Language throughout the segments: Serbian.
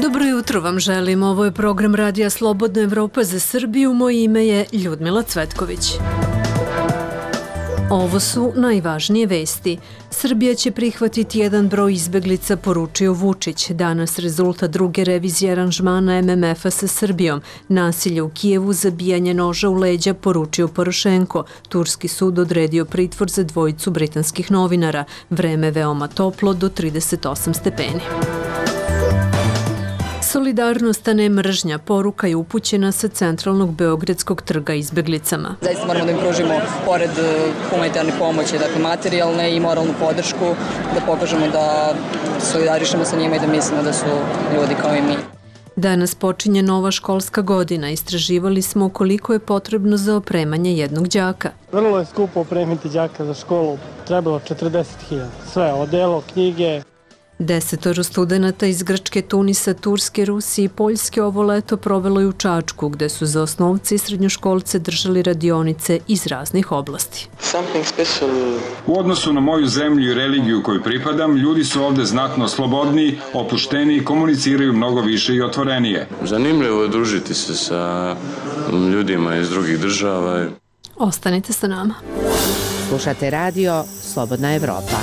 Dobro jutro vam želim. Ovo je program Radija Slobodna Evropa za Srbiju. Moje ime je Ljudmila Cvetković. Ovo su najvažnije vesti. Srbija će prihvatiti jedan broj izbeglica, poručio Vučić. Danas rezultat druge revizije aranžmana MMF-a sa Srbijom. Nasilje u Kijevu, zabijanje noža u leđa, poručio Porošenko. Turski sud odredio pritvor za dvojicu britanskih novinara. Vreme veoma toplo, do 38 stepeni. Solidarnost, a ne mržnja, poruka je upućena sa centralnog Beogradskog trga izbeglicama. Zaista moramo da im pružimo, pored humanitarne pomoći, dakle materijalne i moralnu podršku, da pokažemo da solidarišemo sa njima i da mislimo da su ljudi kao i mi. Danas počinje nova školska godina. Istraživali smo koliko je potrebno za opremanje jednog đaka. Vrlo je skupo opremiti đaka za školu. Trebalo 40.000. Sve, odelo, knjige. 10 studenata iz Grčke, Tunisa, Turske, Rusije i Poljske ovo leto provelo je u Čačku, gde su za osnovce i srednjoškolce držali radionice iz raznih oblasti. U odnosu na moju zemlju i religiju koju pripadam, ljudi su ovde znatno slobodniji, opušteniji, komuniciraju mnogo više i otvorenije. Zanimljivo je družiti se sa ljudima iz drugih država. Ostanite sa nama. Slušate radio Slobodna Evropa.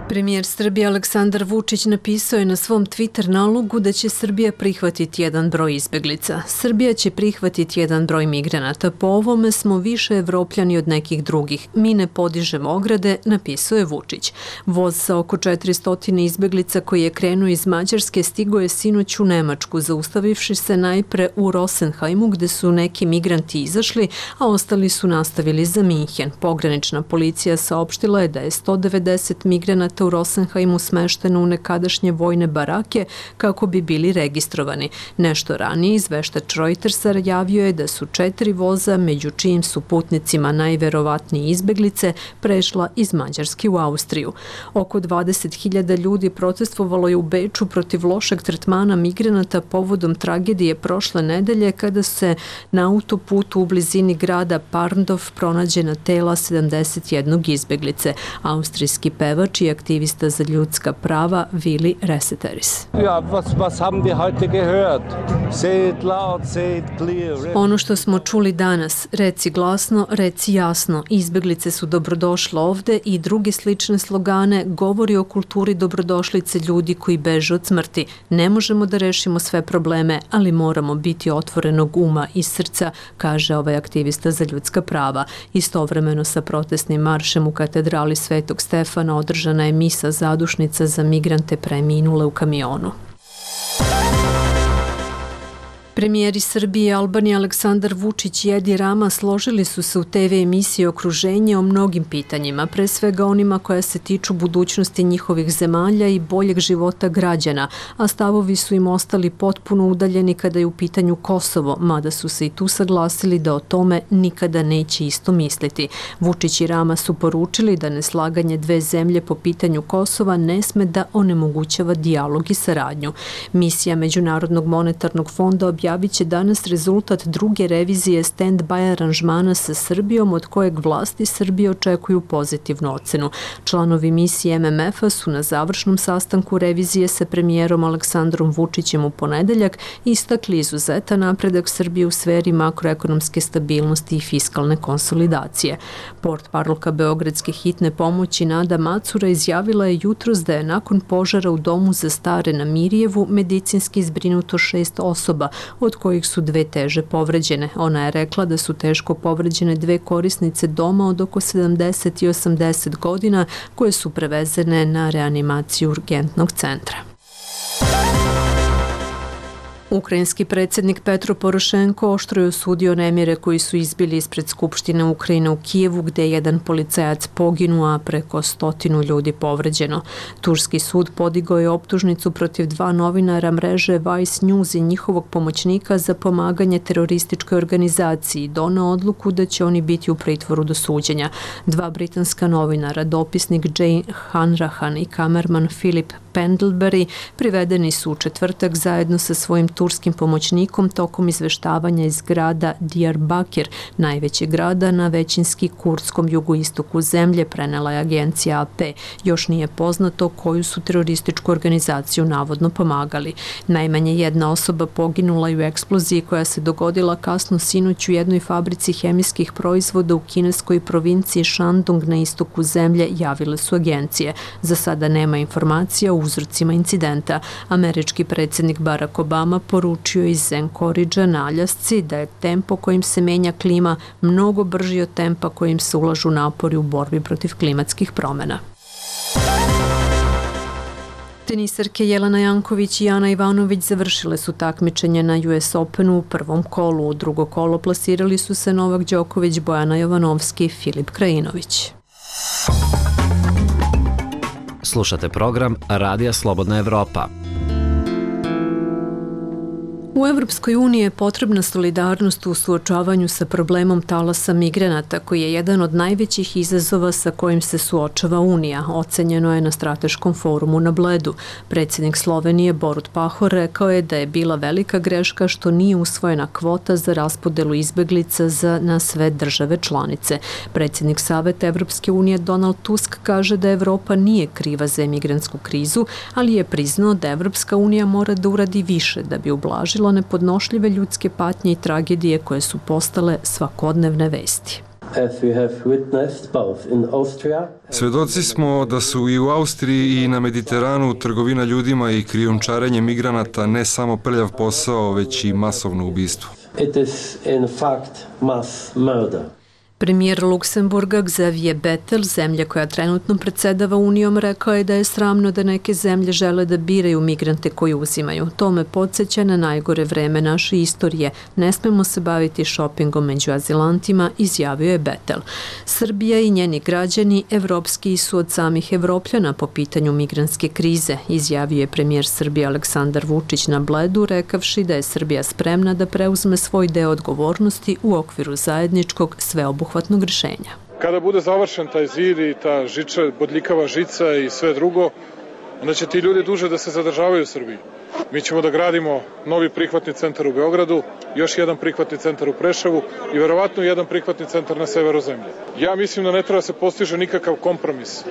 Premijer Srbije Aleksandar Vučić napisao je na svom Twitter nalogu da će Srbija prihvatiti jedan broj izbeglica. Srbija će prihvatiti jedan broj migranata. Po ovome smo više Evropljani od nekih drugih. Mi ne podižemo ograde, napisao je Vučić. Voz sa oko 400 izbeglica koji je krenuo iz Mađarske stigao je sinoć u Nemačku, zaustavivši se najpre u Rosenheimu gde su neki migranti izašli, a ostali su nastavili za Minhen. Pogranična policija saopštila je da je 190 migranata u Rosenheimu smešteno u nekadašnje vojne barake kako bi bili registrovani. Nešto ranije izveštač Reutersa javio je da su 4 voza, među čijim su putnicima najverovatnije izbeglice, prešla iz Mađarske u Austriju. Oko 20.000 ljudi protestvovalo je u Beču protiv lošeg tretmana migranata povodom tragedije prošle nedelje kada se na autoputu u blizini grada Parndorf pronađena tela 71 izbeglice. Austrijski pevač i aktivista za ljudska prava Willi Reseteris. Ono što smo čuli danas, reci glasno, reci jasno, izbeglice su dobrodošle ovde i druge slične slogane govori o kulturi dobrodošlice ljudi koji beže od smrti. Ne možemo da rešimo sve probleme, ali moramo biti otvorenog uma i srca, kaže ovaj aktivista za ljudska prava. Istovremeno sa protestnim maršem u katedrali Svetog Stefana održana je misa zadušnica za migrante preminule u kamionu. Premijeri Srbije i Albanije Aleksandar Vučić i Edi Rama složili su se u TV emisiji Okruženje o mnogim pitanjima, pre svega onima koja se tiču budućnosti njihovih zemalja i boljeg života građana, a stavovi su im ostali potpuno udaljeni kada je u pitanju Kosovo, mada su se i tu saglasili da o tome nikada neće isto misliti. Vučić i Rama su poručili da neslaganje dve zemlje po pitanju Kosova ne sme da onemogućava dijalog i saradnju. Misija Međunarodnog monetarnog fonda objavit će danas rezultat druge revizije stand-by aranžmana sa Srbijom, od kojeg vlasti Srbije očekuju pozitivnu ocenu. Članovi misije MMF-a su na završnom sastanku revizije sa premijerom Aleksandrom Vučićem u ponedeljak istakli izuzetan napredak Srbije u sferi makroekonomske stabilnosti i fiskalne konsolidacije. Portparolka Beogradske hitne pomoći Nada Macura izjavila je jutros da je nakon požara u domu za stare na Mirjevu medicinski zbrinuto 6 osoba, od kojih su 2 teže povređene. Ona je rekla da su teško povređene 2 korisnice doma od oko 70 i 80 godina koje su prevezene na reanimaciju urgentnog centra. Ukrajinski predsjednik Petro Porošenko oštro je osudio nemire koji su izbili ispred Skupštine Ukrajine u Kijevu, gde je jedan policajac poginuo, a preko 100 ljudi povređeno. Turski sud podigao je optužnicu protiv 2 novinara mreže Vice News i njihovog pomoćnika za pomaganje terorističkoj organizaciji i doneo odluku da će oni biti u pritvoru do suđenja. 2 britanska novinara, dopisnik Jane Hanrahan i kamerman Philip Pendlebury, privedeni su u četvrtak zajedno sa svojim turskim pomoćnikom tokom izveštavanja iz grada Diyarbakir, najvećeg grada na većinski kurdskom jugoistoku zemlje, prenela je agencija AP. Još nije poznato koju su terorističku organizaciju navodno pomagali. Najmanje jedna osoba poginula je u eksploziji koja se dogodila kasno sinoć u jednoj fabrici hemijskih proizvoda u kineskoj provinciji Shandong na istoku zemlje, javile su agencije. Za sada nema informacija o uzrocima incidenta. Američki predsjednik Barack Obama poručio iz Anchoridgea na Aljasci da je tempo kojim se menja klima mnogo brži od tempa kojim se ulažu napori u borbi protiv klimatskih promjena. Tenisarke Jelena Janković i Ana Ivanović završile su takmičenje na US Openu u prvom kolu. U drugo kolo plasirali su se Novak Đoković, Bojana Jovanovski i Filip Krajinović. Slušate program Radija Slobodna Evropa. U Evropskoj uniji je potrebna solidarnost u suočavanju sa problemom talasa migranata, koji je jedan od najvećih izazova sa kojim se suočava Unija, ocenjeno je na strateškom forumu na Bledu. Predsjednik Slovenije Borut Pahor rekao je da je bila velika greška što nije usvojena kvota za raspodelu izbeglica na sve države članice. Predsjednik Saveta Evropske unije Donald Tusk kaže da Evropa nije kriva za emigrantsku krizu, ali je priznao da Evropska unija mora da uradi više da bi ublažila nepodnošljive ljudske patnje i tragedije koje su postale svakodnevne vesti. Svedoci smo da su i u Austriji i na Mediteranu trgovina ljudima i krijumčarenje migranata ne samo prljav posao, već i masovno ubistvo. Premijer Luksemburga Xavier Bettel, zemlja koja trenutno predsedava Unijom, rekao je da je sramno da neke zemlje žele da biraju migrante koji uzimaju. To me podsjeća na najgore vreme naše istorije. Ne smemo se baviti šopingom među azilantima, izjavio je Bettel. Srbija i njeni građani evropskiji su od samih Evropljana po pitanju migrantske krize, izjavio je premijer Srbije Aleksandar Vučić na Bledu, rekavši da je Srbija spremna da preuzme svoj deo odgovornosti u okviru zajedničkog sveobuhvatnog rješenja. Kada bude završen taj zid i ta bodljikava žica i sve drugo, onda će ti ljudi duže da se zadržavaju u Srbiji. Mi ćemo da gradimo novi prihvatni centar u Beogradu, još jedan prihvatni centar u Preševu i verovatno jedan prihvatni centar na severu zemlje. Ja mislim da ne treba se postiže nikakav kompromis,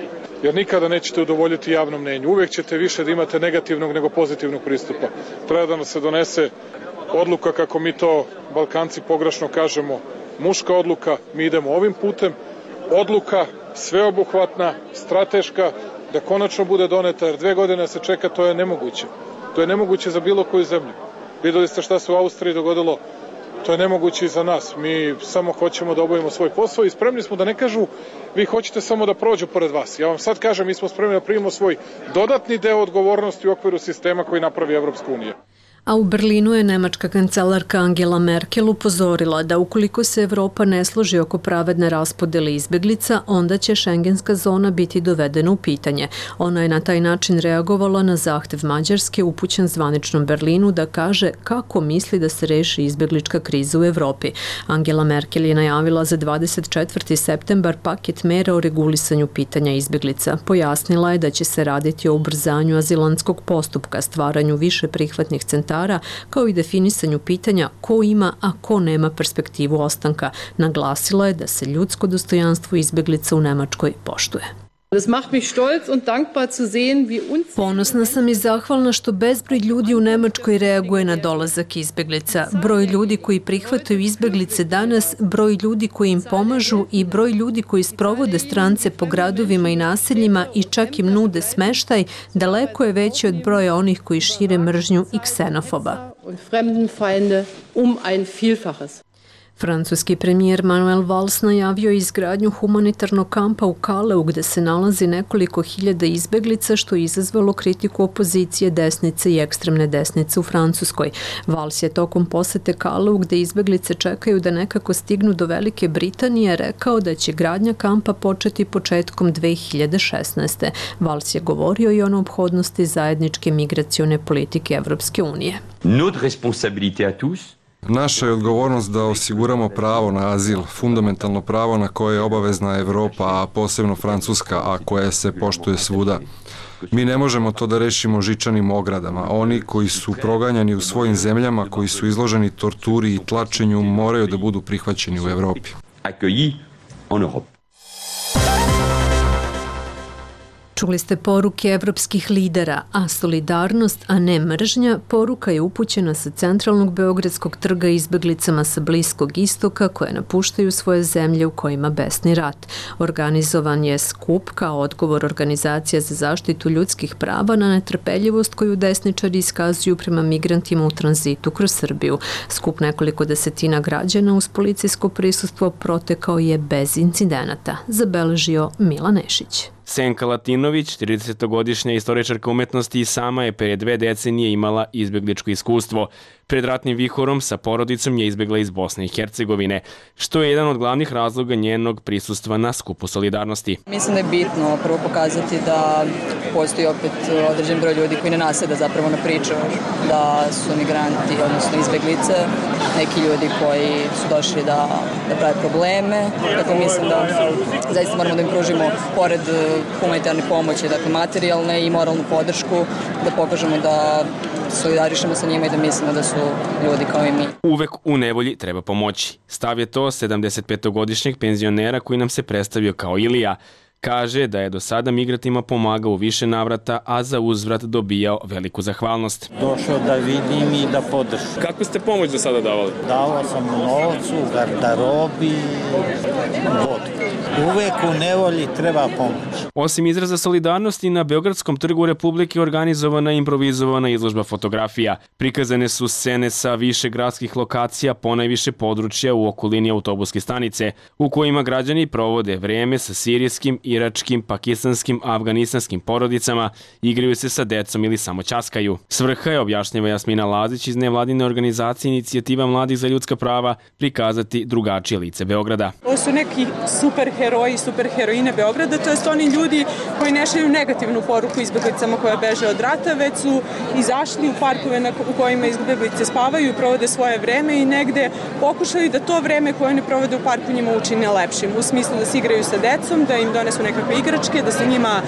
jer nikada nećete udovoljiti javnom mnenju. Uvijek ćete više da imate negativnog nego pozitivnog pristupa. Treba da nas se donese odluka, kako mi to Balkanci pogrešno kažemo, muška odluka, mi idemo ovim putem, odluka sveobuhvatna, strateška, da konačno bude doneta, jer 2 godine se čeka, to je nemoguće. To je nemoguće za bilo koju zemlju. Vidjeli ste šta se u Austriji dogodilo, to je nemoguće i za nas. Mi samo hoćemo da obavimo svoj posao i spremni smo da ne kažu vi hoćete samo da prođu pored vas. Ja vam sad kažem, mi smo spremni da primimo svoj dodatni deo odgovornosti u okviru sistema koji napravi Evropska unija. A u Berlinu je nemačka kancelarka Angela Merkel upozorila da ukoliko se Evropa ne složi oko pravedne raspodele izbeglica, onda će šengenska zona biti dovedena u pitanje. Ona je na taj način reagovala na zahtev Mađarske upućen zvaničnom Berlinu da kaže kako misli da se reši izbeglička kriza u Evropi. Angela Merkel je najavila za 24. septembar paket mera o regulisanju pitanja izbeglica. Pojasnila je da će se raditi o ubrzanju azilantskog postupka, stvaranju više prihvatnih centara, kao i definisanju pitanja ko ima, a ko nema perspektivu ostanka. Naglasila je da se ljudsko dostojanstvo izbeglica u Nemačkoj poštuje. Ponosna sam i zahvalna što bezbroj ljudi u Nemačkoj reaguje na dolazak izbeglica. Broj ljudi koji prihvataju izbeglice danas, broj ljudi koji im pomažu i broj ljudi koji sprovode strance po gradovima i naseljima i čak im nude smeštaj, daleko je veći od broja onih koji šire mržnju i ksenofoba. Francuski premijer Manuel Valls najavio je izgradnju humanitarnog kampa u Kaleu gde se nalazi nekoliko hiljada izbeglica, što je izazvalo kritiku opozicije desnice i ekstremne desnice u Francuskoj. Valls je tokom posete Kaleu gde izbeglice čekaju da nekako stignu do Velike Britanije rekao da će gradnja kampa početi početkom 2016. Valls je govorio i o neophodnosti zajedničke migracione politike Evropske unije. Notre responsabilité à tous. Naša je odgovornost da osiguramo pravo na azil, fundamentalno pravo na koje je obavezna Evropa, a posebno Francuska, a koje se poštuje svuda. Mi ne možemo to da rešimo žičanim ogradama. Oni koji su proganjani u svojim zemljama, koji su izloženi torturi i tlačenju, moraju da budu prihvaćeni u Evropi. Čuli ste poruke evropskih lidera, a solidarnost, a ne mržnja, poruka je upućena sa centralnog Beogradskog trga izbeglicama sa Bliskog istoka koje napuštaju svoje zemlje u kojima besni rat. Organizovan je skup kao odgovor Organizacija za zaštitu ljudskih prava na netrpeljivost koju desničari iskazuju prema migrantima u tranzitu kroz Srbiju. Skup nekoliko desetina građana uz policijsko prisustvo protekao je bez incidenata, zabeležio Milan Nešić. Senka Latinović, 30-godišnja istoričarka umetnosti i sama je pre 2 decenije imala izbegličko iskustvo. Pred ratnim vihorom sa porodicom je izbegla iz Bosne i Hercegovine, što je jedan od glavnih razloga njenog prisustva na skupu solidarnosti. Mislim da je bitno prvo pokazati da postoji opet određen broj ljudi koji ne naseda zapravo na priču da su migranti, odnosno izbeglice, neki ljudi koji su došli da prave probleme. Dakle, mislim da zaista moramo da im pružimo pored humanitarne pomoći, dakle materijalne i moralnu podršku, da pokažemo da solidarišemo sa njima i da mislimo da su ljudi kao i mi. Uvek u nevolji treba pomoći. Stav je to 75-godišnjeg penzionera koji nam se predstavio kao Ilija. Kaže da je do sada migrantima pomagao u više navrata, a za uzvrat dobijao veliku zahvalnost. Došao da vidim i da podržim. Kakvu ste pomoć do sada davali? Davao sam novcu, garderobi, vodu. Uvek u nevolji treba pomoć. Osim izraza solidarnosti, na Beogradskom trgu Republike organizovana je improvizovana izložba fotografija. Prikazane su scene sa više gradskih lokacija, ponajviše područja u okolini autobuske stanice, u kojima građani provode vreme sa sirijskim, iračkim, pakistanskim, afganistanskim porodicama, igraju se sa decom ili samo ćaskaju. Svrha je, objašnjava Jasmina Lazić iz nevladine organizacije Inicijativa mladih za ljudska prava, prikazati drugačije lice Beograda. Ovo su neki super heroji, super heroine Beograda, to jest oni ljudi koji ne šalju negativnu poruku izbeglicama koja beže od rata, već su izašli u parkove u kojima izbeglice spavaju i provode svoje vreme i negde pokušali da to vreme koje ne provode u parku njima učine lepšim. U smislu da se igraju sa decom, da im donesu nekakve igračke, da se njima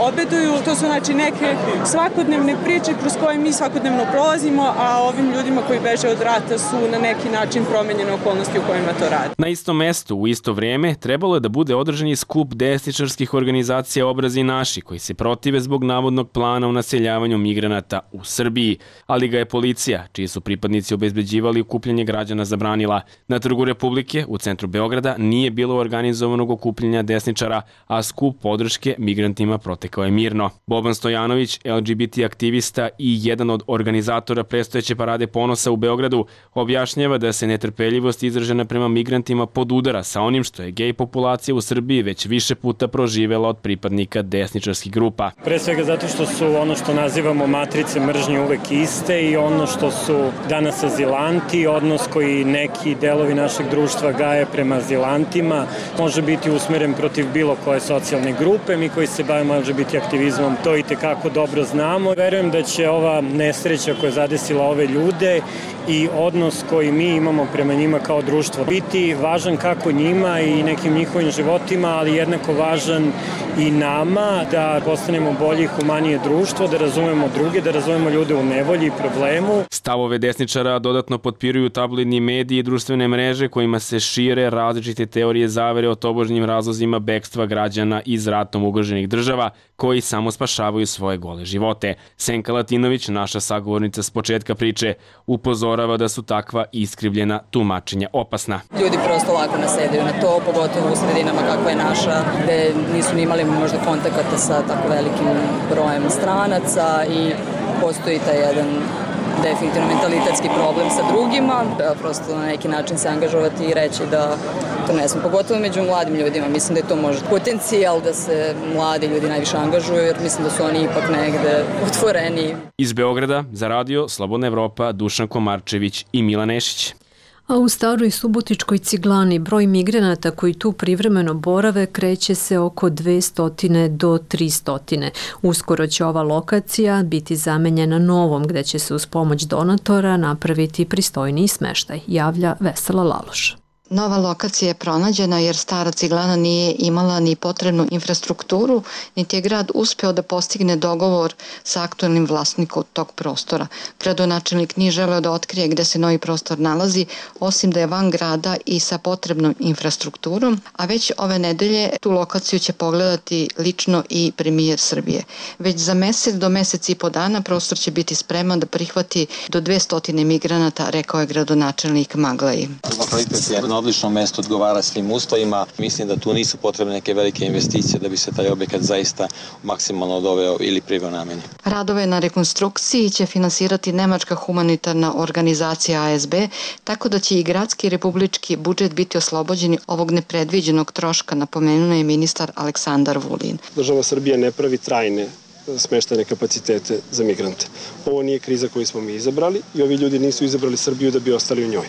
obeduju. To su znači neke svakodnevne priče kroz koje mi svakodnevno prolazimo, a ovim ljudima koji beže od rata su na neki način promenjene okolnosti u kojima to rade. Na istom mestu, u isto vreme, trebalo je da bude održan i skup desničarskih organizacija Obrazi naši, koji se protive zbog navodnog plana o naseljavanju migranata u Srbiji, ali ga je policija, čiji su pripadnici obezbeđivali okupljanje građana, zabranila. Na Trgu Republike, u centru Beograda, nije bilo organizovanog okupljanja desničara, a skup podrške migrantima protekao je mirno. Boban Stojanović, LGBT aktivista i jedan od organizatora predstojeće parade ponosa u Beogradu, objašnjava da se netrpeljivost izražena prema migrantima podudara sa onim što je gej populacija u Srbiji već više puta proživela od pripadnika desničarskih grupa. Pre svega zato što su ono što nazivamo matrice mržnje uvek iste i ono što su danas azilanti, odnos koji neki delovi našeg društva gaje prema azilantima, može biti usmeren protiv bilo koje socijalne grupe. Mi koji se bavimo LGBT aktivizmom to i tekako dobro znamo. Verujem da će ova nesreća koja je zadesila ove ljude i odnos koji mi imamo prema njima kao društvo biti važan kako njima i nekim njihovim životima, ali jednako važan i nama da postanemo bolje i humanije društvo, da razumemo druge, da razumemo ljude u nevolji i problemu. Stavove desničara dodatno potpiruju tabloidni mediji i društvene mreže kojima se šire različite teorije zavere o tobožnjim razlozima bekstva građana iz ratom ugroženih država koji samo spašavaju svoje gole živote. Senka Latinović, naša sagovornica s početka priče, upozorava da su takva iskrivljena tumačenja opasna. Ljudi prosto lako nasedaju na to, pogotovo u sredinama kakva je naša, gde nisu ni imali možda kontakata sa tako velikim brojem stranaca i postoji taj jedan definitivno mentalitetski problem sa drugima, da prosto na neki način se angažovati i reći da to ne smo, pogotovo među mladim ljudima. Mislim da je to možda potencijal da se mladi ljudi najviše angažuju, jer mislim da su oni ipak negde otvoreni. Iz Beograda za radio Slobodna Evropa, Dušan Komarčević i Milan Nešić. A u Staroj Subotičkoj Ciglani broj migranata koji tu privremeno borave kreće se oko 200 do 300. Uskoro će ova lokacija biti zamenjena novom gde će se uz pomoć donatora napraviti pristojniji smeštaj, javlja Vesela Laloš. Nova lokacija je pronađena jer stara ciglana nije imala ni potrebnu infrastrukturu, niti je grad uspeo da postigne dogovor sa aktualnim vlasnikom tog prostora. Gradonačelnik nije želeo da otkrije gde se novi prostor nalazi, osim da je van grada i sa potrebnom infrastrukturom, a već ove nedelje tu lokaciju će pogledati lično i premijer Srbije. Već za mesec do mesec i po dana prostor će biti spreman da prihvati do 200 migranata, rekao je gradonačelnik Maglaji. Lokalitet je na odličnom mestu, odgovara svim uslovima. Mislim da tu nisu potrebne neke velike investicije da bi se taj objekat zaista maksimalno doveo ili priveo nameni. Radove na rekonstrukciji će finansirati nemačka humanitarna organizacija ASB, tako da će i gradski i republički budžet biti oslobođeni ovog nepredviđenog troška, napomenuo je ministar Aleksandar Vulin. Država Srbija ne pravi trajne smeštajne kapacitete za migrante. Ovo nije kriza koju smo mi izabrali i ovi ljudi nisu izabrali Srbiju da bi ostali u njoj.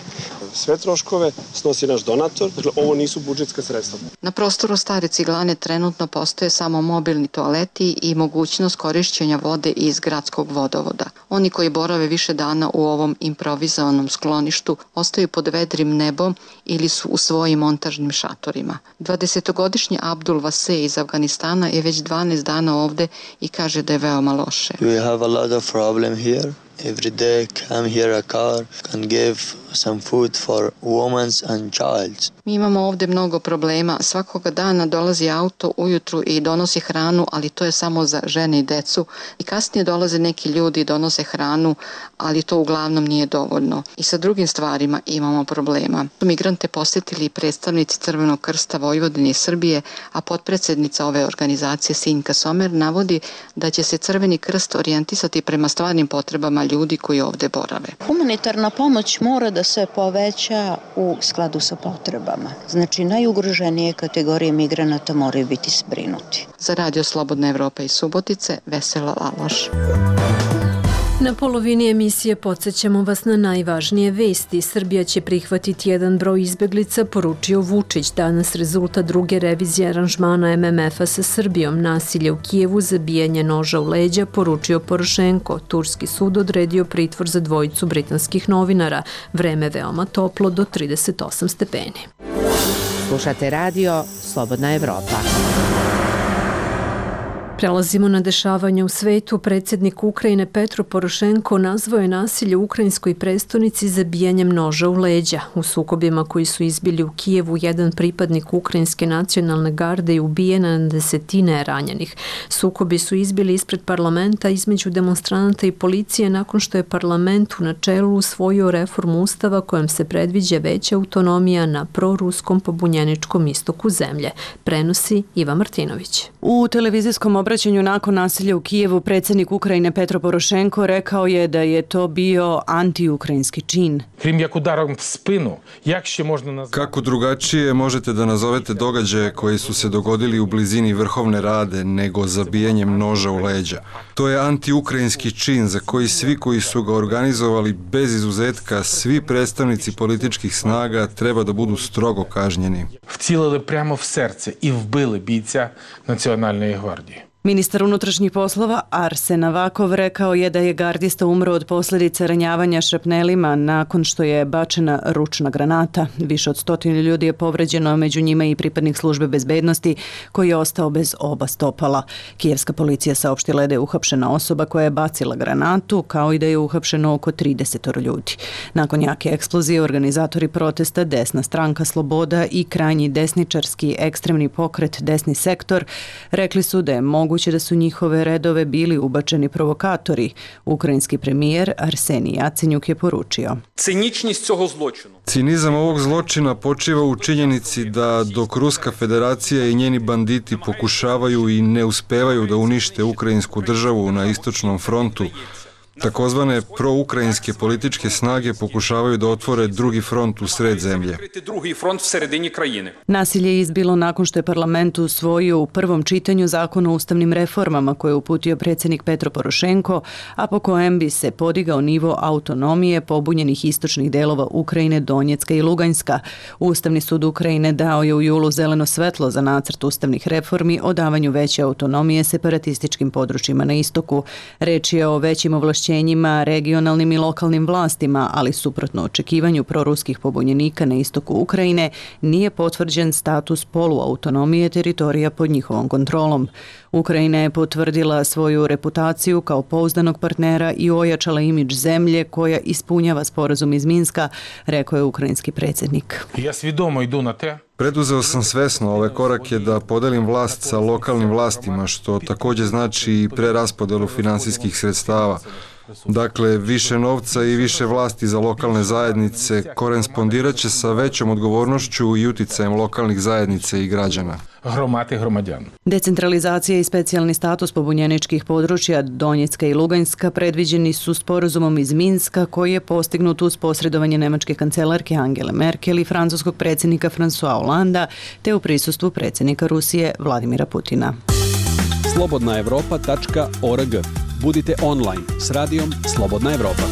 Sve troškove snosi naš donator, dakle ovo nisu budžetska sredstva. Na prostoru stare ciglane trenutno postoje samo mobilni toaleti i mogućnost korišćenja vode iz gradskog vodovoda. Oni koji borave više dana u ovom improvizovanom skloništu ostaju pod vedrim nebom ili su u svojim montažnim šatorima. 20-godišnji Abdul Vase iz Afganistana je već 12 dana ovde i kaže da je veoma loše. We have a lot of problem here. Every day come here a car can give some food for women and child. Mi imamo ovde mnogo problema. Svakoga dana dolazi auto ujutru i donosi hranu, ali to je samo za žene i decu. I kasnije dolaze neki ljudi i donose hranu, ali to uglavnom nije dovoljno. I sa drugim stvarima imamo problema. Migrante posjetili predstavnici Crvenog krsta Vojvodine i Srbije, a potpredsednica ove organizacije Sinjka Somer navodi da će se Crveni krst orijentisati prema stvarnim potrebama ljudi koji ovde borave. Humanitarna pomoć mora da se poveća u skladu sa potrebama. Znači, najugroženije kategorije migranata moraju biti zbrinuti. Za Radio Slobodna Evropa iz Subotice, Vesela Laloš. Na polovini emisije podsjećamo vas na najvažnije vesti. Srbija će prihvatiti jedan broj izbeglica, poručio Vučić. Danas rezultat druge revizije aranžmana MMF-a sa Srbijom. Nasilje u Kijevu, zabijanje noža u leđa, poručio Porošenko. Turski sud odredio pritvor za dvojicu britanskih novinara. Vreme veoma toplo do 38 stepeni. Slušate radio Slobodna Evropa. Prelazimo na dešavanje u svetu. Predsjednik Ukrajine Petro Porošenko nazvao je nasilje u ukrajinskoj prestonici zabijanjem noža u leđa. U sukobima koji su izbili u Kijevu, jedan pripadnik ukrajinske nacionalne garde je ubijen, na desetine je ranjenih. Sukobi su izbili ispred parlamenta između demonstranata i policije nakon što je parlament u načelu usvojio reformu ustava kojom se predviđa veća autonomija na proruskom pobunjeničkom istoku zemlje. Prenosi Iva Martinović. U televizijskom obraćanju nakon nasilja u Kijevu predsjednik Ukrajine Petro Porošenko rekao je da je to bio antiukrajinski čin. Kako drugačije možete da nazovete događaje koji su se dogodili u blizini Vrhovne Rade nego zabijanjem noža u leđa? To je antiukrajinski čin za koji svi koji su ga organizovali bez izuzetka, svi predstavnici političkih snaga treba da budu strogo kažnjeni. Вцілили прямо в серце і вбили бійця Національної гвардії. Ministar unutrašnjih poslova Arsen Avakov rekao je da je gardista umro od posljedica ranjavanja šrapnelima nakon što je bačena ručna granata. Više od 100 ljudi je povređeno, među njima i pripadnik službe bezbednosti koji je ostao bez oba stopala. Kijevska policija saopštila je da je uhapšena osoba koja je bacila granatu, kao i da je uhapšeno oko 30 ljudi. Nakon jake eksplozije, organizatori protesta Desna stranka Sloboda i krajnji desničarski ekstremni pokret Desni sektor rekli su da je moguće da su njihove redove bili ubačeni provokatori. Ukrajinski premijer Arsenij Jacenjuk je poručio. Cinizam ovog zločina počiva u činjenici da dok Ruska federacija i njeni banditi pokušavaju i ne uspevaju da unište ukrajinsku državu na istočnom frontu, takozvane proukrajinske političke snage pokušavaju da otvore drugi front u sred zemlje. Nasilje je izbilo nakon što je parlament usvojio u prvom čitanju zakon o ustavnim reformama koje je uputio predsjednik Petro Porošenko, a po kojem bi se podigao nivo autonomije pobunjenih istočnih delova Ukrajine, Donjecka i Luganjska. Ustavni sud Ukrajine dao je u julu zeleno svetlo za nacrt ustavnih reformi o davanju veće autonomije separatističkim područjima na istoku. Reč je o većim ovlašćenjima ovlašćenjima regionalnim i lokalnim vlastima, ali suprotno očekivanju proruskih pobunjenika na istoku Ukrajine, nije potvrđen status poluautonomije teritorija pod njihovom kontrolom. Ukrajina je potvrdila svoju reputaciju kao pouzdanog partnera i ojačala imidž zemlje koja ispunjava sporazum iz Minska, rekao je ukrajinski predsjednik. Ja svidomo idu na te. Preduzeo sam svesno ove korake da podelim vlast sa lokalnim vlastima, što također znači i preraspodelu finansijskih sredstava. Dakle, više novca i više vlasti za lokalne zajednice korespondirat će sa većom odgovornošću i uticajem lokalnih zajednica i građana. Decentralizacija i specijalni status pobunjeničkih područja Donjecka i Luganjska predviđeni su sporazumom iz Minska koji je postignut uz posredovanje nemačke kancelarke Angele Merkel i francuskog predsjednika François Hollanda te u prisustvu predsjednika Rusije Vladimira Putina. slobodnaevropa.org. Budite online s radijom Slobodna Evropa.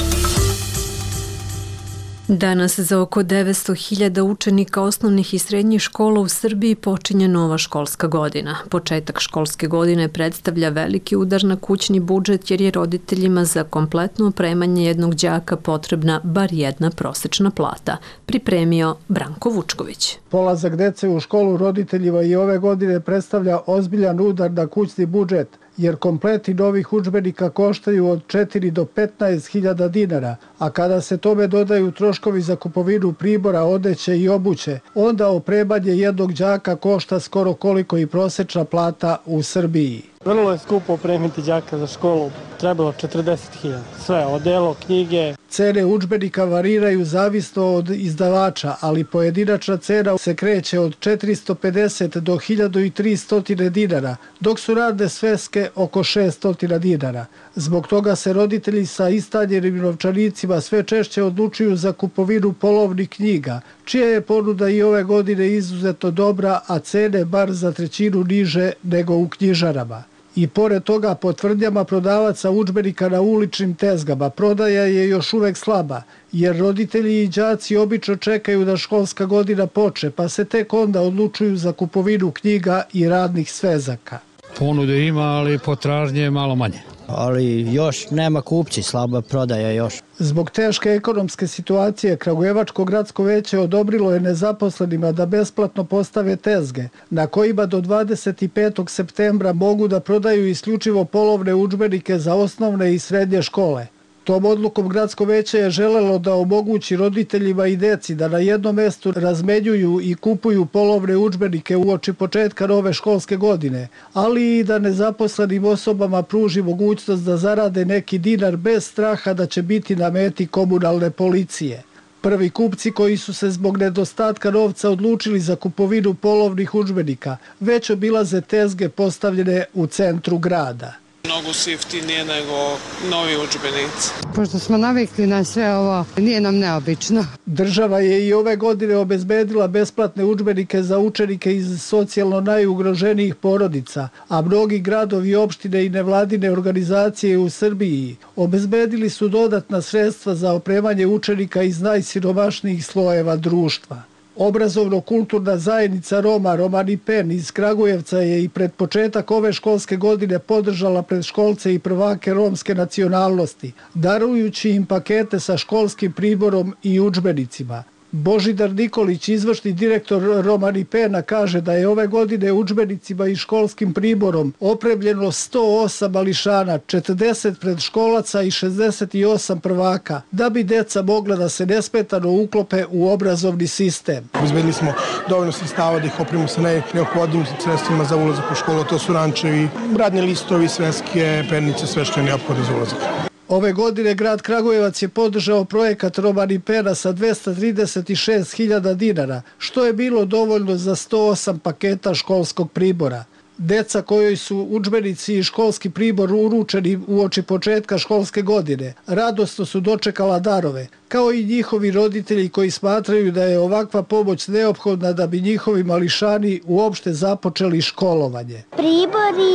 Danas za oko 900.000 učenika osnovnih i srednjih škola u Srbiji počinje nova školska godina. Početak školske godine predstavlja veliki udar na kućni budžet jer je roditeljima za kompletno opremanje jednog đaka potrebna bar jedna prosečna plata, pripremio Branko Vučković. Polazak dece u školu roditeljima i ove godine predstavlja ozbiljan udar na kućni budžet, jer kompleti novih udžbenika koštaju od 4 do 15.000 dinara, a kada se tome dodaju troškovi za kupovinu pribora, odeće i obuće, onda opremanje jednog đaka košta skoro koliko i prosečna plata u Srbiji. Vrlo je skupo opremiti đaka za školu, trebalo 40.000. Sve, odelo, knjige. Cene udžbenika variraju zavisno od izdavača, ali pojedinačna cena se kreće od 450 do 1300 dinara, dok su radne sveske oko 600 dinara. Zbog toga se roditelji sa istanjenim novčanicima sve češće odlučuju za kupovinu polovnih knjiga, čija je ponuda i ove godine izuzetno dobra, a cene bar za trećinu niže nego u knjižarama. I pored toga, po tvrdnjama prodavaca udžbenika na uličnim tezgama, prodaja je još uvek slaba, jer roditelji i đaci obično čekaju da školska godina počne, pa se tek onda odlučuju za kupovinu knjiga i radnih svezaka. Ponude ima, ali potražnje je malo manje. Ali još nema kupci, slaba prodaja još. Zbog teške ekonomske situacije, Kragujevačko gradsko veće odobrilo je nezaposlenima da besplatno postave tezge, na kojima do 25. septembra mogu da prodaju isključivo polovne udžbenike za osnovne i srednje škole. Tom odlukom gradsko veće je želelo da omogući roditeljima i deci da na jednom mestu razmenjuju i kupuju polovne udžbenike uoči početka nove školske godine, ali i da nezaposlenim osobama pruži mogućnost da zarade neki dinar bez straha da će biti na meti komunalne policije. Prvi kupci koji su se zbog nedostatka novca odlučili za kupovinu polovnih udžbenika već obilaze tezge postavljene u centru grada. Mnogo su jeftinije nego novi udžbenici. Pošto smo navikli na sve ovo, nije nam neobično. Država je i ove godine obezbedila besplatne udžbenike za učenike iz socijalno najugroženijih porodica, a mnogi gradovi, opštine i nevladine organizacije u Srbiji obezbedili su dodatna sredstva za opremanje učenika iz najsiromašnijih slojeva društva. Obrazovno-kulturna zajednica Roma Romani Pen iz Kragujevca je i pred početak ove školske godine podržala predškolce i prvake romske nacionalnosti, darujući im pakete sa školskim priborom i udžbenicima. Božidar Nikolić, izvršni direktor Romani Pena, kaže da je ove godine udžbenicima i školskim priborom opremljeno 108 mališana, 40 predškolaca i 68 prvaka, da bi deca mogla da se nesmetano uklope u obrazovni sistem. Obezbedili smo dovoljno sredstava da ih opremimo sa neophodnim sredstvima za ulazak u školu, to su rančevi, radni listovi, sveske, pennice, sve što je neophodno za ulazak. Ove godine grad Kragujevac je podržao projekat Romani Pena sa 236.000 dinara, što je bilo dovoljno za 108 paketa školskog pribora. Deca kojoj su udžbenici i školski pribor uručeni uoči početka školske godine radosno su dočekala darove, kao i njihovi roditelji koji smatraju da je ovakva pomoć neophodna da bi njihovi mališani uopšte započeli školovanje. Pribori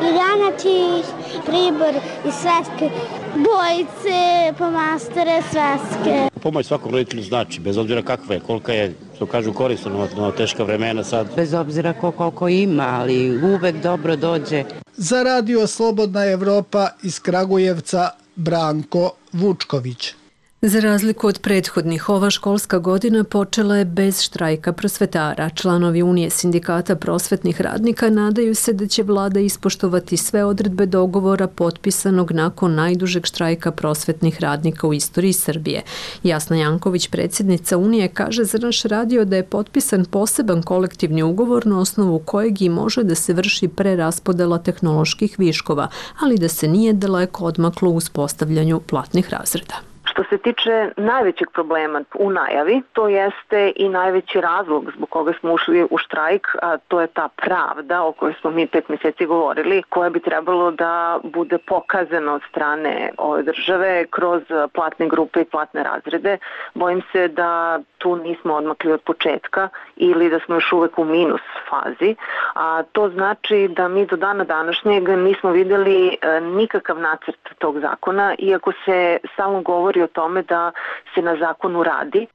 i ranači, pribor i sveske, bojice, pomastore, sveske. Pomoć svakom roditelju znači, bez obzira kakva je, kolika je, što kažu, korisno na teška vremena sad. Bez obzira koliko ima, ali uvek dobro dođe. Za radio Slobodna Evropa iz Kragujevca, Branko Vučković. Za razliku od prethodnih, ova školska godina počela je bez štrajka prosvetara. Članovi Unije sindikata prosvetnih radnika nadaju se da će vlada ispoštovati sve odredbe dogovora potpisanog nakon najdužeg štrajka prosvetnih radnika u istoriji Srbije. Jasna Janković, predsjednica Unije, kaže za naš radio da je potpisan poseban kolektivni ugovor na osnovu kojeg i može da se vrši preraspodela tehnoloških viškova, ali da se nije daleko odmaklo u uspostavljanju platnih razreda. Što se tiče najvećeg problema u najavi, to jeste i najveći razlog zbog koga smo ušli u štrajk, a to je ta pravda o kojoj smo mi 5 mjeseci govorili, koja bi trebalo da bude pokazana od strane ove države kroz platne grupe i platne razrede. Bojim se da tu nismo odmakli od početka ili da smo još uvek u minus fazi, a to znači da mi do dana današnjeg nismo vidjeli nikakav nacrt tog zakona, iako se samo govori o tome da se na zakonu radi.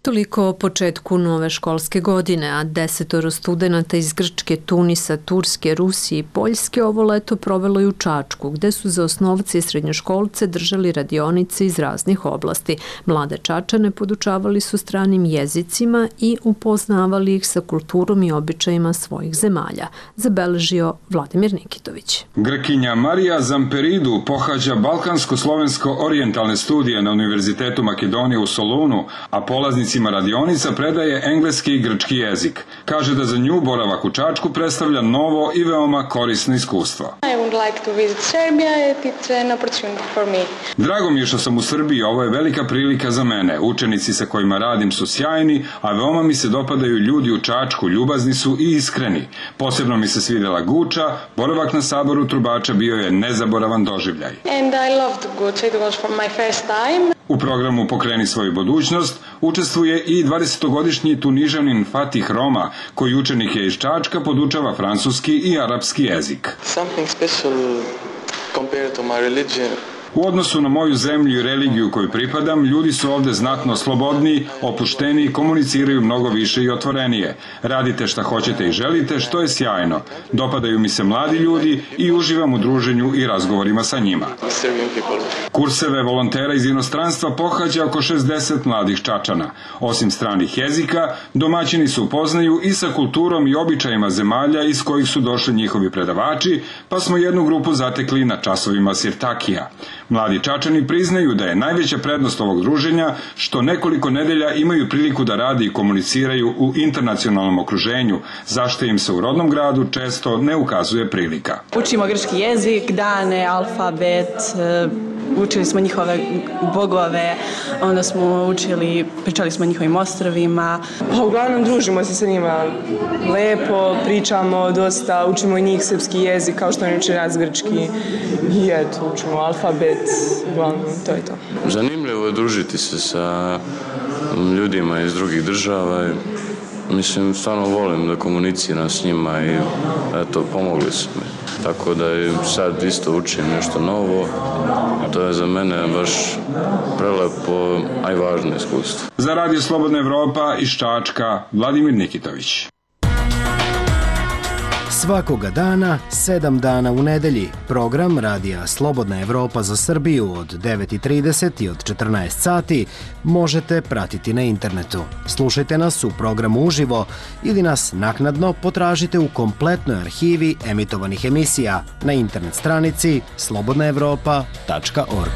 Toliko o početku nove školske godine, a 10 studenata iz Grčke, Tunisa, Turske, Rusije i Poljske ovo leto provelo i u Čačku, gde su za osnovce i srednjoškolce držali radionice iz raznih oblasti. Mlade Čačane podučavali su stranim jezicima i upoznavali ih sa kulturom i običajima svojih zemalja, zabeležio Vladimir Nikitović. Grkinja Marija Zamperidu pohađa balkansko-slovensko-orijentalne studije na Univerzitetu Makedonije u Solunu, a polaznici radionica predaje engleski i grčki jezik. Kaže da za nju boravak u Čačku predstavlja novo i veoma korisno iskustvo. Drago mi je što sam u Srbiji, ovo je velika prilika za mene. Učenici sa kojima radim su sjajni, a veoma mi se dopadaju ljudi u Čačku, ljubazni su i iskreni. Posebno mi se svidjela Guča, boravak na saboru trubača bio je nezaboravan doživljaj. U programu Pokreni svoju budućnost učestvuje i 20-godišnji Tunižanin Fatih Roma, koji učenike iz Čačka podučava francuski i arapski jezik. U odnosu na moju zemlju i religiju koju pripadam, ljudi su ovde znatno slobodniji, opušteniji, komuniciraju mnogo više i otvorenije. Radite šta hoćete i želite, što je sjajno. Dopadaju mi se mladi ljudi i uživam u druženju i razgovorima sa njima. Kurseve volontera iz inostranstva pohađa oko 60 mladih Čačana. Osim stranih jezika, domaćini se upoznaju i sa kulturom i običajima zemalja iz kojih su došli njihovi predavači, pa smo jednu grupu zatekli na časovima sirtakija. Mladi Čačani priznaju da je najveća prednost ovog druženja što nekoliko nedelja imaju priliku da rade i komuniciraju u internacionalnom okruženju, zašto im se u rodnom gradu često ne ukazuje prilika. Učimo grčki jezik, dane, alfabet, učili smo njihove bogove, onda smo pričali smo o njihovim ostrvima. Uglavnom družimo se sa njima lepo, pričamo dosta, učimo i njih srpski jezik kao što oni uče nas grčki i eto, učimo alfabet, uglavnom to je to. Zanimljivo je družiti se sa ljudima iz drugih država. Mislim, stvarno volim da komuniciram s njima i eto, pomogli su mi. Tako da i sad isto učim nešto novo. To je za mene baš prelepo, a i važno iskustvo. Za Radio Slobodna Evropa iz Čačka, Vladimir Nikitović. Svakoga dana, 7 dana u nedelji, program Radija Slobodna Evropa za Srbiju od 9:30 i od 14 sati možete pratiti na internetu. Slušajte nas u programu uživo ili nas naknadno potražite u kompletnoj arhivi emitovanih emisija na internet stranici slobodnaevropa.org.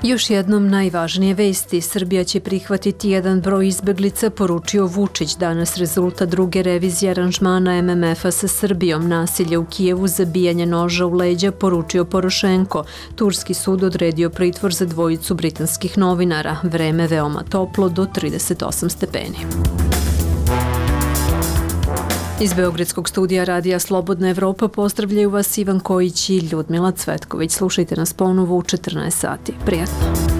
Još jednom najvažnije vesti. Srbija će prihvatiti jedan broj izbeglica, poručio Vučić. Danas rezultat druge revizije aranžmana MMF-a sa Srbijom. Nasilje u Kijevu, zabijanje noža u leđa, poručio Porošenko. Turski sud odredio pritvor za dvojicu britanskih novinara. Vreme veoma toplo do 38 stepeni. Iz Beogradskog studija Radija Slobodna Evropa pozdravljaju vas Ivan Kojić i Ljudmila Cvetković. Slušajte nas ponovo u 14 sati. Prijatno!